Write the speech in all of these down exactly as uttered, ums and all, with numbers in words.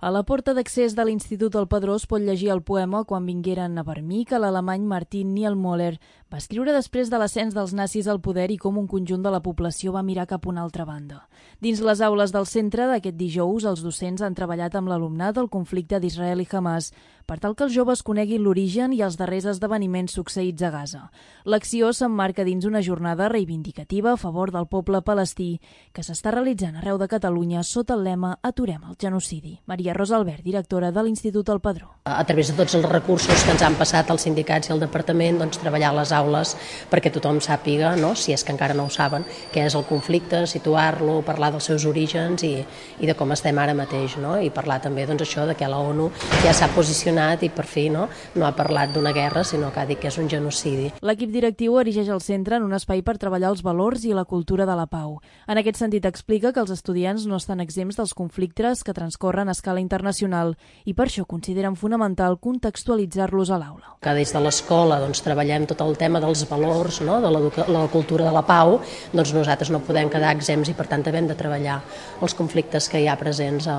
A la porta d'accés de l'Institut del Padró es pot llegir el poema Quan vingueren a per mi, que l'alemany Martin Niemöller va escriure després de l'ascens dels nazis al poder i com un conjunt de la població va mirar cap a una altra banda. Dins les aules del centre d'aquest dijous, els docents han treballat amb l'alumnat del conflicte d'Israel i Hamas per tal que els joves coneguin l'origen i els darrers esdeveniments succeïts a Gaza. L'acció s'emmarca dins una jornada reivindicativa a favor del poble palestí que s'està realitzant arreu de Catalunya sota el lema Aturem el genocidi. Maria Rosa Albert, directora de l'Institut del Padró. A través de tots els recursos que ens han passat els sindicats i el departament, doncs, treballar a les aules perquè tothom sàpiga, no, si és que encara no ho saben, què és el conflicte, situar-lo, parlar dels seus orígens i, i de com estem ara mateix, no? I parlar també doncs, això de que la ONU ja s'ha posicionat i per fi no, no ha parlat d'una guerra, sinó que ha dit que és un genocidi. L'equip directiu erigeix el centre en un espai per treballar els valors i la cultura de la pau. En aquest sentit explica que els estudiants no estan exempts dels conflictes que transcorren a escala internacional i per això consideren fonamental contextualitzar-los a l'aula. Que des de l'escola doncs, treballem tot el tema dels valors, no, de la cultura de la pau, doncs nosaltres no podem quedar exempts i per tant hem de treballar els conflictes que hi ha presents a,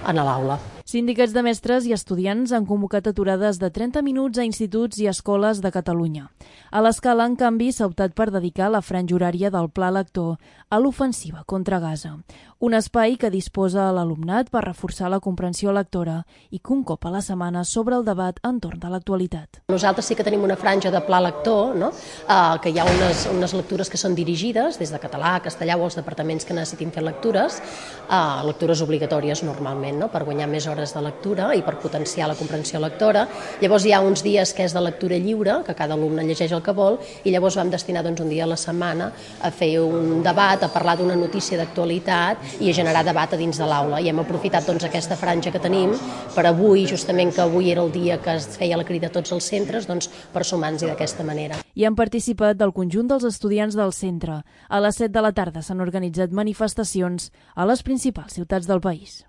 a l'aula. Sindicats de mestres i estudiants han convocat aturades de trenta minuts a instituts i escoles de Catalunya. A l'escala, en canvi, s'ha optat per dedicar la franja horària del Pla Lector a l'ofensiva contra Gaza, un espai que disposa a l'alumnat per reforçar la comprensió lectora i que un cop a la setmana s'obre el debat entorn de l'actualitat. Nosaltres sí que tenim una franja de Pla Lector, no? uh, que hi ha unes, unes lectures que són dirigides des de català, castellà o els departaments que necessitin fer lectures, uh, lectures obligatòries normalment, no? Per guanyar més hores de lectura i per potenciar la comprensió lectora. Llavors hi ha uns dies que és de lectura lliure, que cada alumne llegeix el que vol, i llavors vam destinar doncs, un dia a la setmana a fer un debat, a parlar d'una notícia d'actualitat i a generar debat a dins de l'aula. I hem aprofitat doncs, aquesta franja que tenim per avui, justament que avui era el dia que es feia la crida a tots els centres, doncs, per sumar-nos-hi d'aquesta manera. Hi han participat del conjunt dels estudiants del centre. A les set de la tarda s'han organitzat manifestacions a les principals ciutats del país.